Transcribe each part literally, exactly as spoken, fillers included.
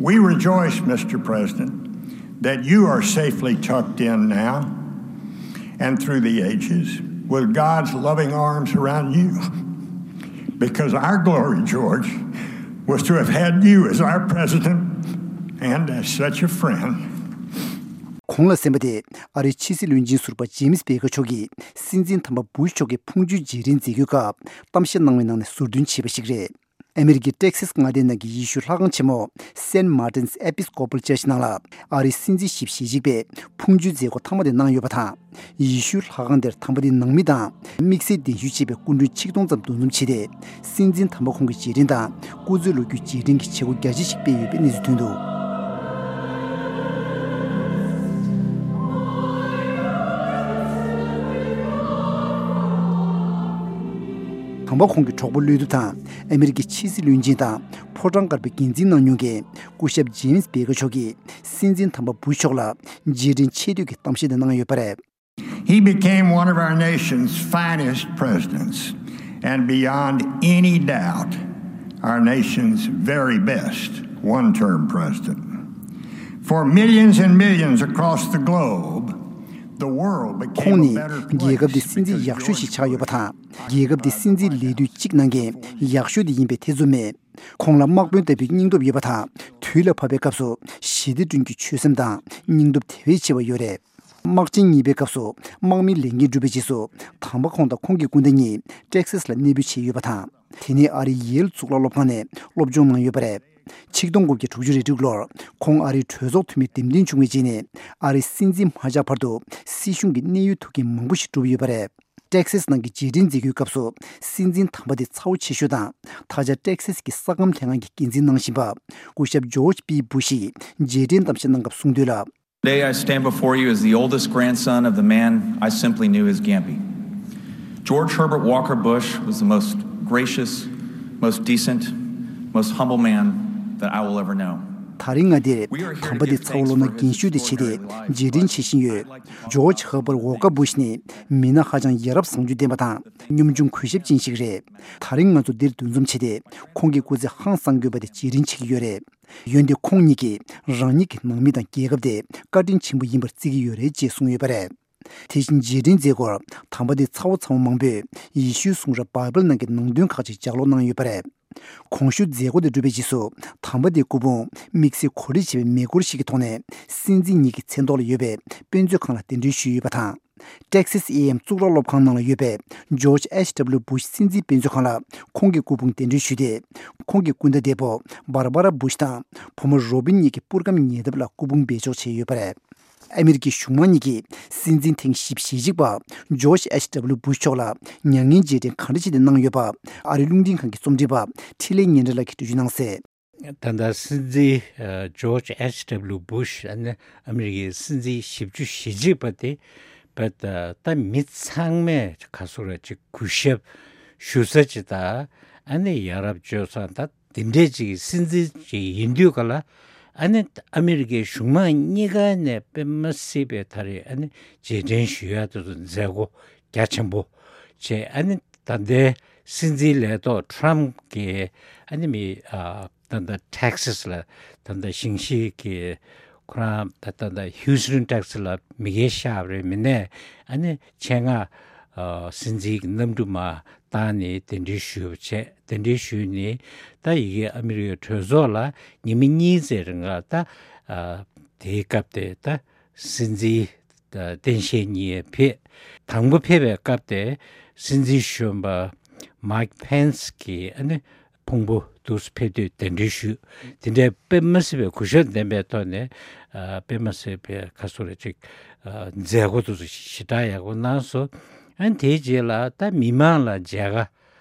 We rejoice, Mister President, that you are safely tucked in now and through the ages with God's loving arms around you, because our glory, George, was to have had you as our president and as such a friend. གོང་ལ་གསན་པ་དེ་ཨ་རིའི་ཕྱི་སྲིད་བློན་ཆེན་ཟུར་པ་ཇེམ་སི་བྷེ་ཀར་མཆོག་གིས་སྲིད་འཛིན་དམ་པ་བུ་ཤ་མཆོག་གི་ཕུང་མཆོད་རྗེས་དྲན་མཛད་སྒོའི་སྐབས་གཏམ་བཤད་གནང་བའི་ནང་ནས་ཟུར་འདོན་བྱས་པ་ཞིག་རེད། ཨ་མེ་རི་ཀའི་ཏེག་སཱས་མངའ་སྡེའི་ནང་གི་ཡེ་ཤུའི་ལྷ་ཁང་ཆེན་མོ་Saint Martin's Episcopal Church ནང་ལ་ཨ་རིའི་སྲིད་འཛིན་ཞིབ་ཞེ་གཅིག་པས་ཕུང་མཆོད་མཛད་སྒོ་མཐའ་མ་དེ་གནང་ཡོད་པ་དང་། ཡེ་ཤུའི་ལྷ་ཁང་དེར་དམ་པ་དེའི་ནང་མི་དང་དམིགས་བསལ་གདན་ཞུ་བྱས་པའི་སྐུ་མགྲོན་ཆིག་སྟོང་ཙམ་འདུ་འཛོམས་བྱས་ཏེ། སྲིད་འཛིན་དམ་པ་ཁོང་གི་རྗེས་དྲན་དང་སྐུ་ཚེའི་ལོ་རྒྱུས་རྗེས་དྲན་གྱི་བྱེད་སྒོ་རྒྱ་ཆེ་ཞིག་སྤེལ་ཡོད་པའི་གནས་ཚུལ་ཐོན་འདུག་དམ་པ་ཁོང་གི་གྲོགས་པོ་བློ་གྲོས་དང་ཨ་མེ་རི་ཀའི་ཕྱི་སྲིད་བློན་ཆེན་དང་ཕོ་བྲང་དཀར་པོའི་འགན་འཛིན་གནང་མྱོང་མཁན་སྐུ་ཞབས་ཇེམ་སི་བྷེ་ཀར་མཆོག་གིས་སྲིད་འཛིན་དམ་པ་བུ་ཤ་མཆོག་ལ་རྗེས་དྲན་ཆེ་བསྟོད་ཀྱི་གཏམ་བཤད་དེ་གནང་ཡོད་པ་རེད། He became one of our nation's finest presidents, and beyond any doubt, our nation's very best one term president. For millions and millions across the globe, the world became a better place. เขงนี่เกี่ยวกับที่สิ่งที่อยากช่วยชิดชายอยู่ปะทะเกี่ยวกับที่สิ่งที่เลียดูจิกนั่งเกงอยากช่วยได้ยินไปเทซุเมะ ཁོང་ལ་དམག་དཔོན་ལྟ་བུའི་སྙིང་སྟོབས་ཡོད་པ་དང་། དུས་ལ་བབ་པའི་སྐབས་སུ་ཞི་བདེ་བསྐྲུན་རྒྱུའི་ཆོད་སེམས་དང་སྙིང་སྟོབས་དེ་བས་ཆེ་བ་ཡོད་རེད། དམག་ཆེན་གཉིས་པའི་སྐབས་སུ་དམག་མིའི་ལས་འགན་བསྒྲུབས་པའི་རྗེས་སུ་དམ་པ་ཁོང་དང་ཁོང་གི་སྐུ་ཟླ་གཉིས་ཏེག་སཱས་ལ་གནས་སྤོས་བྱས་ཡོད་པ་དང་། དེ་ནས་ཨ་རིའི་ཡེལ་གཙུག་ལག་སློབ་ཁང་ནས་སློབ་སྦྱོང་གནང་ཡོད་པ་རེད། ཆིག་སྟོང་དགུ་བརྒྱ་དྲུག་ཅུ་རེ་དྲུག་ལོར་ཁོང་ཨ་རིའི་གྲོས་ཚོགས་འཐུས་མིར་འདེམས་ཐོན་བྱུང་བའི་རྗེས་ནས་ཨ་རིའི་སྲིད་འཛིན་མ་ཆགས་བར་དུ་སྲིད་གཞུང་གི་གནད་ཡོད་ཐུགས་འགན་མང་པོ་ཞིག་བསྒྲུབས་ཡོད་པ་རེད། ཏེག་སཱས་ནང་གི་རྗེས་དྲན་མཛད་སྒོའི་སྐབས་སུ་སྲིད་འཛིན་དམ་པ་དེ་ཚ་བོ་ཆེ་ཤོས་དང་ད་ཆ་ཏེག་སཱས་ཀྱི་ས་ཁམས་ལྷན་ཁང་གི་འགན་འཛིན་གནང་བཞིན་པ་སྐུ་ཞབས་ཇོརྗ་པི་བུ་ཤིས་རྗེས་དྲན་གཏམ་བཤད་གནང་སྐབས་གསུངས་དོན་ལ། Today I stand before you as the oldest grandson of the man I simply knew as Gampy. George Herbert Walker Bush was the most gracious, most decent, most humble man that I will ever know. ད་རིང་ང་འདིར་དམ་པ་དེ་ཚ་བོ་ལོ་ན་རྒན་ཤོས་དེ་བྱས་ཏེ་རྗེས་དྲན་བྱེད་བཞིན་ཡོད། ཇོརྗ་ཧར་བར་ཝོ་ཀར་བུ་ཤ་ནི་མི་སྣ་ཧ་ཅང་ཡ་རབས་བཟང་སྤྱོད་ལྡན་པ་དང་གཉོམ་ཆུང་གུས་ཞབས་ཅན་ཞིག་རེད། ད་རིང་ང་ཚོ་འདིར་འདུ་འཛོམས་བྱས་ཏེ་ཁོང་གི་སྐུ་ཚེ་ཧང་སང་དགོས་པ་དེ་རྗེས་དྲན་བྱེད་ཀྱི་ཡོད་རེད། འོན་ཏེ་ཁོང་ཉིད་ཀྱིས་རང་ཉིད་ཀྱི་ནང་མི་དང་རྒྱལ་ཁབ་དེ་བཀའ་དྲིན་ཆེན་པོ་ཡིན་པར་བརྩི་གི་ཡོད་རེད་ཅེས་གསུངས་ཡོད་པ་རེད། དེ་བཞིན་རྗེས་དྲན་མཛད་སྒོར་དམ་པ་དེ་ཚ་བོ་ཚ་བོ་མང་པོས་ཡེ་ཤུའི་གསུང་རབ་བྷའི་བལ་ནང་གི་ནང་དོན་ཁག་ཅིག་ལྗགས་ཀློག་གནང་ཡོད་པ་རེད། གོང་ཞུས་མཛད་སྒོ་དེ་གྲུབ་པའི་རྗེས་སུ་དམ་པ་དེའི་སྐུ་ཕུང་དམིགས་བསལ་གོ་སྒྲིག་བྱས་པའི་མེ་འཁོར་ཞིག་གི་ཐོག་ནས་སྲིད་འཛིན་ཉིད་ཀྱི་མཚན་ཐོག་ལ་ཡོད་པའི་དཔེ་མཛོད་ཁང་ལ་གདན་འདྲེན་ཞུས་ཡོད་པ་དང་། ཏེག་སཱས་ཨེ་ཨེམ་གཙུག་ལག་སློབ་ཁང་ནང་ལ་ཡོད་པའི་ཇོརྗ་ཨེཆ་ཌབ་ལིའུ་བུ་ཤ་སྲིད་འཛིན་དཔེ་མཛོད་ཁང་ལ་ཁོང་གི་སྐུ་ཕུང་གདན་འདྲེན་ཞུས་ཏེ། ཁོང་གི་སྐུ་ཟླ་འདས་པོ་བྷར་བྷ་ར་བུ་ཤ་དང་བུ་མོ་རོ་བིན་གཉིས་ཀྱི་པུར་སྒམ་ཉེ་འདབས་ལ་སྐུ་ཕུང་སྦས་འཇོག་བྱས་ཡོད་པ་རེད། ཨ་མེ་རི་ཀའི་གཞུང་མང་གཉིས་ཀྱིས་སྲིད་འཛིན་ཐེངས་བཞི་བཅུ་ཞེ་གཅིག་པ་ཇོརྗ་ཨེཆ་ཌབ་ལིའུ་བུ་ཤ་མཆོག་ལ་མྱ་ངན་རྗེས་དྲན་གང་འདྲ་བྱས་ཏེ་གནང་ཡོད་པ་ཨ་རིའི་རླུང་འཕྲིན་ཁང་གི་རྩོམ་སྒྲིག་པ་འཕྲིན་ལས་ཉེ་འབྲེལ་ལགས་ཀྱིས་འགྲེལ་བརྗོད་གནང་གསལ། ད་ལྟ་སྲིད་འཛིན་ཇོརྗ་ཨེཆ་ཌབ་ལིའུ་བུ་ཤ་ཨ་ནི་ཨ་མེ་རི་ཀའི་སྲིད་འཛིན་བཞི་བཅུ་ཞེ་གཅིག་པ་དེ་བས་ད་མི་ཚང་མས་ག་སོ་ར་ཅིག་གུས་ཞབས་ཞུ་ས་ཅིག་དང་ཨ་ནི་ཡ་རབས་སྤྱོད་བཟང་ད་དེ་འདྲས་ཅིག་སྲིད་འཛིན་ཅིག་ཡིན་དུས་ག་ལ་ཨ་ནི་ཨ་མེ་རི་ཀའི་གཞུང་མང་གཉིས་ཀ་ནས་དཔེ་མ་སྲིད་པའི་ད་རེས་ཨ་ནི་རྗེས་དྲན་ཞུ་ཡ་དེ་ཚོ་མཛད་སྒོ་རྒྱ་ཆེན་པོ་བྱས། ཨ་ནི་ད་ལྟའི་སྲིད་འཛིན་ལས་ཐོག་ཊརམ་གྱིས་ཨ་ནི་མི་ཨ་ད་ལྟ་ཏེག་སཱས་ལ་ད་ལྟ་ཞིང་ཆེན་གྱི་ཁོ་རང་ད་ལྟ་ད་ལྟ་ཧིའུ་སི་ཊོན་ཏེག་སཱས་ལ་མི་སྒེར་ཤག་རེ་མི་སྣས་ཨ་ནི་ཆེད་མངགས་ཨ་སྲིད་འཛིན་གྱི་གནམ་གྲུ་མ་བཏང་ནས་གདན་འདྲེན་ཞུས་པ་བྱས། གདན་འདྲེན་ཞུས་ནས་ད་ཡི་གེ་ཨ་མི་རི་ཀའི་གྲོས་ཚོགས་ལ་ཉི་མ་གཉིས་ཙམ་རིང་ལ་ད་ཨ་དེའི་སྐབས་དེ་ད་སྲིད་འཛིན་ད་སྟངས་དཔྱལ་གཉིས་ཕེབས། དང་པོ་ཕེབས་པའི་སྐབས་དེ་སྲིད་འཛིན་གཞོན་པ་མའིག་ཕེན་སི་གིས་ཨ་ནི་ཕུང་པོ་དུས་སུ་ཕེབས་དུས་གདན་འདྲེན་ཞུས། དེ་འདྲའི་དཔེ་མ་སྲིད་པའི་གུས་ཞབས་ལྡན་པའི་ཐོག་ནས་ཨ་དཔེ་མ་སྲིད་པའི་ག་སོ་རེ་ཅིག་ཨ་མཛད་སྒོ་དེ་ཚོ་ཞེ་དྲག་ཡག་པོ་གནང་སོང་། ཨ་ནི་དེའི་རྗེས་ལ་ད་མི་མང་ལ་མཇལ་ཁ་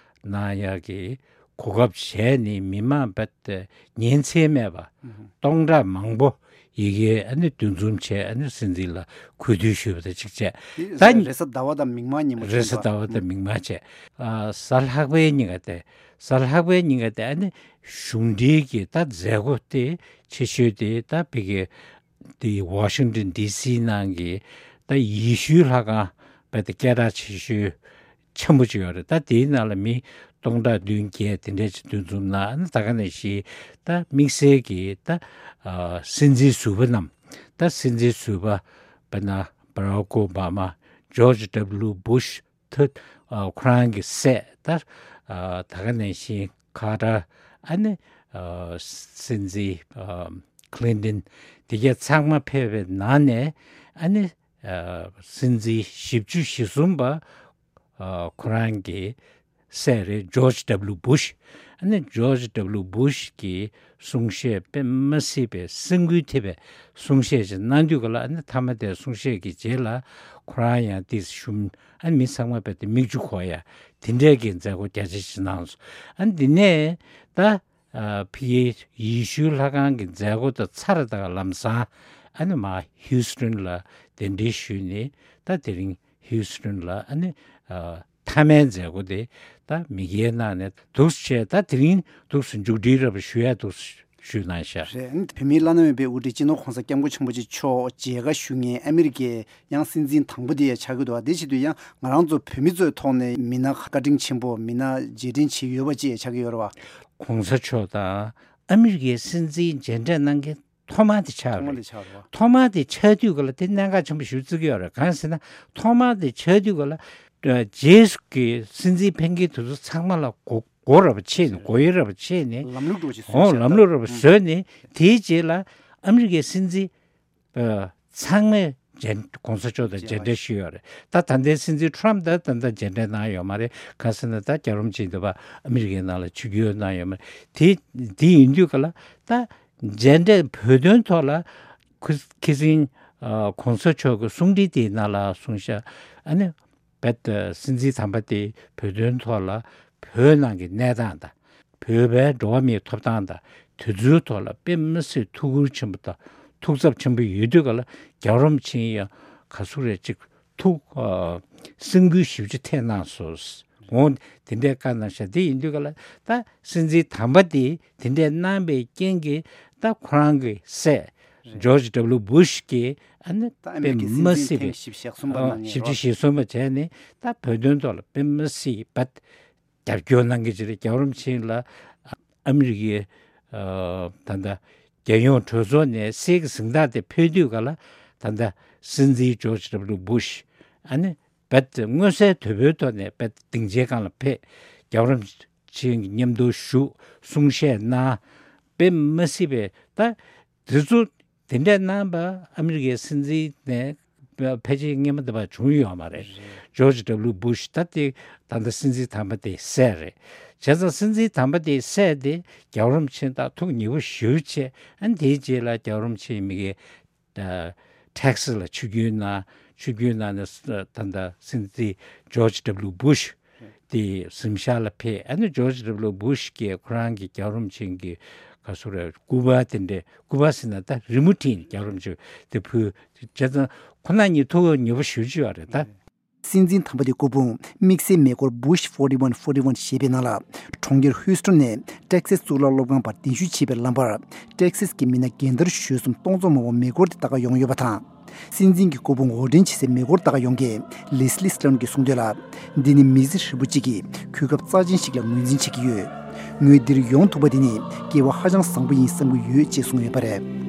གནང་ཡག་གི་གོ་སྐབས་བྱས་ནས་མི་མང་རྦད་དེ་ཉིན་མཚན་མེད་པ་སྟོང་ཕྲག་མང་པོ་ཡི་གེ་ཨ་ནི་འདུ་འཛོམས་བྱས། ཨ་ནི་སྲིད་འཛིན་ལ་གུས་འདུད་ཞུས་པ་དང་གཅིག་བྱས། ད་རེས་གཟའ་ཟླ་བ་དང་མིག་དམར་ཉིན་མོ་རེས་གཟའ་ཟླ་བ་དང་མིག་དམར་བྱས། ཨ་གཟའ་ལྷག་པའི་ཉིན་ག་དེ་གཟའ་ལྷག་པའི་ཉིན་ག་དེ་ཨ་ནི་གཞུང་འབྲེལ་གྱི་ད་མཛད་སྒོ་དེ་ཆེ་ཤོས་དེ་ད་ཕ་གི་དེ་ཝ་ཤིང་ཏོན་ཌི་སི་ནང་གི་ད་ཡེ་ཤུའི་ལྷ་ཁང་རྦད་དེ་སྐད་གྲགས་ཆེ་ཤོས་ཆེན་པོ་ཅིག་ཡོད་རེད། ད་དེའི་ནང་ལ་མི་ སྟོང་ཕྲག་བདུན་བརྒྱད་དེ་འདྲ་ཅིག་འདུ་འཛོམས་ན། ཨ་ནི་ད་ག་ནང་བཞིན་ད་དམིགས་བསལ་གྱི་ད་ཨ་སྲིད་འཛིན་ཟུར་པ་རྣམས། ད་སྲིད་འཛིན་ཟུར་པ་དཔེར་ན་བྷ་རག་ཨོ་བྷ་མ། ཇོརྗ་ཌབ་ལིའུ་བུ་ཤ། ཐུ་ཨ་ཁོ་རང་གི་སྲས། ད་ཨ་ད་ག་ནང་བཞིན་ཁ་ཏར། ཨ་ནི་ཨ་སྲིད་འཛིན་ཨ་ཁི་ལིན་ཏོན། དེ་ག་ཚང་མ་ཕེབས་པའི་ནང་ནས། ཨ་ནི་ཨ་སྲིད་འཛིན་བཞི་བཅུ་ཞེ་གསུམ་པ་ཨ་ཁོ་རང་གི་སྲས་རེད། ཇོརྗ་ཌབ་ལིའུ་བུ་ཤ། ཨ་ནི་ཇོརྗ་ཌབ་ལིའུ་བུ་ཤ་གིས་གསུང་བཤད་དཔེ་མ་སྲིད་པའི་སེམས་འགུལ་ཐེབས་པའི་གསུང་བཤད་ཅིག་གནང་དུས་ག་ལ། ཨ་ནི་མཐའ་མ་དེ་གསུང་བཤད་ཀྱི་རྗེས་ལ་ཁོ་རང་ཡང་ཏོག་ཙམ་ཞུམ། ཨ་ནི་མི་ཚང་མ་རྦད་དེ་མིག་ཆུ་འཁོར་ཡ་དེ་འདྲའི་གི་མཛད་སྒོ་རྒྱ་ཆེ་ཞིག་གནང་སོང་། ཨ་ནི་འདི་ནས་ད་ཨ་ཕ་གིའི་ཡེ་ཤུའི་ལྷ་ཁང་གི་མཛད་སྒོ་དང་ཚར་དང་ལམ་སང་། ཨ་ནི་མར་ཧིའུ་སི་ཏོན་ལ་གདན་འདྲེན་ཞུས་ནས། ད་དེ་རིང་ཧིའུ་སི་ཏོན་ལ་ཨ་ནི་ཨ་མཐའ་མའི་མཛད་སྒོ་དེ་ད་མི་སྒེར་ནང་ནས་འདུག་སེ་བྱས། ད་དེ་རིང་འདུག་སེ་མཇུག་སྒྲིལ་ར་བ་ཞུ་ཡ་འདུག་སེ་ཞུས་གནང་ཤག། རེད། བོད་མིའི་བླ་ན་མེད་པའི་དབུ་ཁྲིད་སྤྱི་ནོར་༸གོང་ས་༸སྐྱབས་མགོན་ཆེན་པོ་མཆོག་མཇལ་ཁ་ཞུ་མཁན་ཨ་མི་རི་ཀའི་ཡང་སྲིད་འཛིན་དང་པོ་དེ་ཡང་ཆགས་ཀྱི་འདུག་བ། དེ་བྱེད་དུས་ཡང་ང་རང་ཚོ་བོད་མི་ཚོའི་ཐོག་ནས་མི་སྣ་བཀའ་དྲིན་ཆེན་པོ། མི་སྣ་རྗེས་དྲན་བྱེད་ཡོད་པ་ཅིག་ཆགས་ཀྱི་ཡོད་རེད་བ། ༸གོང་ས་མཆོག་དང་ཨ་མི་རི་ཀའི་སྲིད་འཛིན་མཇལ་འཕྲད་གནང་མཁན་ཐོག་མ་དེ་ཆགས་ཐོག་མ་རེད། དེ་ཆགས་རེད་བ། ཐོག་མ་དེ་ཆགས་དུས་ག་ལ་དེ་གནད་འགག་ཆེན་པོ་ཞིག་བརྩི་གི་ཡོད་རེད། གང་ཟེར་ན། ཐོག་མ་དེ་ཆགས་དུས་ག་ལ་རྗེས་སུ་གི་སྲིད་འཛིན་ཕེབས་མཁན་དེ་ཚོ་ཚང་མ་ལ་གོ་གོ་ར་བ་ཆེ་ནས། གོ་ཡི་ར་བ་ཆེ་ནས། ལམ་ལུགས་འགྲོ་ཅིག་འོ་བཟོས་ཤག་ལམ་ལུགས་ར་བ་ཨུ། བཟོས་ནས། དེའི་རྗེས་ལ་ཨ་མི་རི་ཀའི་སྲིད་འཛིན་ཨ་ཚང་མས་མཇལ་༸གོང་ས་མཆོག་དང་མཇལ་འཕྲད་ཞུས་ཡོད་རེད། ད་ད་ལྟའི་སྲིད་འཛིན་ཊརམ་ཕུ་ད་ད་ལྟ་མཇལ་འཕྲད་གནང་ཡོད་མ་རེད། གང་ཟེར་ན་ད་རྒྱལ་བ་རིན་པོ་ཆེ་འདི་བ་ཨ་མི་རི་ཀའི་ནང་ལ་ཆིབས་བསྒྱུར་གནང་ཡོད་མ་རེད། དེ་དེ་ཡིན་དུས་ག་ལ་ད་མཇལ་འཕྲད་བོད་དོན་ཐོག་ལ་ཁུ་ཁི་སིང་ཨ་༸གོང་ས་མཆོག་གི་གསུང་འཕྲིན་དེའི་ནང་ལ་གསུངས་ཤག། ཨ་ནི་རྦད་དེ་སྲིད་འཛིན་དམ་པ་དེ་བོད་དོན་ཐོག་ལ་བོད་ནང་གི་གནས་སྟངས་དང་། བོད་པའི་འགྲོ་བ་མིའི་ཐོབ་ཐང་དང་། དེ་ཚོའི་ཐོག་ལ་དཔེ་མི་སྲིད་ཐུགས་ཁུར་ཆེན་པོ་དང་ཐུགས་འཚབ་ཆེན་པོ་ཡོད་དུས་ག་ལ། རྒྱལ་བ་རིན་པོ་ཆེ་ཡང་ག་ཚོད་རེད་ཅིག་ཐུགས་ཨ་སེམས་འགུལ་ཞེ་པོ་ཅིག་ཐེབས་གནང་སོང་། འོ་དེ་འདྲའི་བཀའ་གནང་ཤག། དེ་ཡིན་དུས་ག་ལ་ད་སྲིད་འཛིན་དམ་པ་དེ་དེ་འདྲའི་གནང་བའི་རྐྱེན་གྱིས་ད་ཁོ་རང་གི་སྲས་རེད། ཇོརྗ་ཌབ་ལིའུ་བུ་ཤ་གིས་ཨ་ནི་ད་ཨ་མི་རི་ཀའི་སྲིད་འཛིན་ཐེངས་བཞི་བཅུ་ཞེ་གསུམ་པ་གནང་མཁན་རེད་བ། ཨ་བཞི་བཅུ་ཞེ་གསུམ་པ་བྱས་ནས་ད་བོད་དོན་ཐོག་ལ་དཔེ་མི་སྲིད་རྦད་རྒྱབ་སྐྱོར་གནང་གི་ཅིག་རེད། རྒྱལ་བ་རིན་པོ་ཆེ་ལ་ཨ་མི་རི་ཀའི་ཨ་ད་ལྟ་རྒྱལ་ཡོངས་གྲོས་ཚོགས་ནས་གསེར་གྱི་གཟེངས་རྟགས་དེ་ཕུལ་དུས་ག་ལ། ད་ལྟ་སྲིད་འཛིན་ཇོརྗ་ཌབ་ལིའུ་བུ་ཤ་ཨ་ནི་རྦད་དངོས་གསལ་དོད་པོའི་ཐོག་ནས་རྦད་སྡིངས་ཆའི་སྒང་ལ་ཕེབས། རྒྱལ་བ་རིན་པོ་ཆེ་མཉམ་དུ་བཞུགས། གསུང་བཤད་གནང་། དཔེ་མི་སྲིད་པའི་ད་དེ་ཚོ་དེ་འདྲ་གནང་བ་ཨ་མི་རི་ཀའི་སྲིད་འཛིན་ནས་ཕལ་ཆེར་སྔོན་མ་དེ་བ་བྱུང་ཡོད་མ་རེད། རེད། ཇོརྗ་ཌབ་ལིའུ་བུ་ཤ་ད་དེ་ད་ལྟ་སྲིད་འཛིན་དམ་པ་དེ་སྲས་རེད། བྱས་ཙང་སྲིད་འཛིན་དམ་པ་དེ་སྲས་དེ་རྒྱལ་བ་རིན་པོ་ཆེ་དང་ཐུགས་ཉེ་པོ་ཞེ་པོ་བྱས། ཨ་ནི་དེའི་རྗེས་ལ་རྒྱལ་བ་རིན་པོ་ཆེ་མི་གི་ཨ་ཊེག་སཱས་ལ་ཆིབས་བསྒྱུར་གནང་། ཆིབས་བསྒྱུར་གནང་ནས་ད་ལྟ་སྲིད་འཛིན་ཇོརྗ་ཌབ་ལིའུ་བུ་ཤ་དེ་གཟིམ་ཤག་ལ་ཕེབས། ཨ་ནི་ཇོརྗ་ཌབ་ལིའུ་བུ་ཤ་གིས་ཁོ་རང་གི་རྒྱལ་བ་རིན་པོ་ཆེ་གི་ག་ཚོད་རེད། སྐུ་པར་དེ་འདྲ། སྐུ་པར་ཟེར་ན་ད་རི་མོ་བྲིས་ནས་རྒྱལ་བ་རིན་པོ་ཆེ་དེ་ཕུལ། བྱས་ཙང་ཁོ་རང་གཉིས་ཐུགས་ཉེ་པོ་ཞེ་པོ་ཅིག་ཡོད་རེད་ད། སྲིད་འཛིན་དམ་པ་དེའི་སྐུ་ཕུང་དམིགས་བསལ་མེ་འཁོར་Bush forty one forty one ཞེས་པའི་ནང་ལ། གྲོང་ཁྱེར་ཧུའུ་སི་ཏོན་ནས་ཊེག་སཱས་གཙུག་ལག་སློབ་ཁང་བར་གདན་ཞུ་བྱེད་པའི་ལམ་བར། ཊེག་སཱས་ཀྱི་མི་སྣ་རྒན་དར་གཞོན་གསུམ་སྟོང་ཚོ་མང་པོ་མེ་འཁོར་དེ་ལྟ་ག་ཡོང་ཡོད་པ་དང་། སྲིད་འཛིན་གྱི་སྐུ་ཕུང་འོར་འདྲེན་བྱེད་སའི་མེ་འཁོར་ལྟ་ག་ཡོང་མཁན་ལེ་སི་ལི་སི་ཊོན་གྱིས་གསུངས་དོན་ལ། འདི་ནི་མི་ཚེ་ཧྲིལ་པོ་གཅིག་གི་གོ་སྐབས་རྩ་ཆེན་ཞིག་ལ་ངོས་འཛིན་བྱེད་ཀྱི་ཡོད། ངོས་འདིར་ཡོང་ཐུབ་པ་དེ་ནི་སྐལ་བ་ཧ་ཅང་བཟང་པོ་ཡིན་བསམ་གྱི་ཡོད་ཅེས་གསུངས་ཡོད་པ་རེད།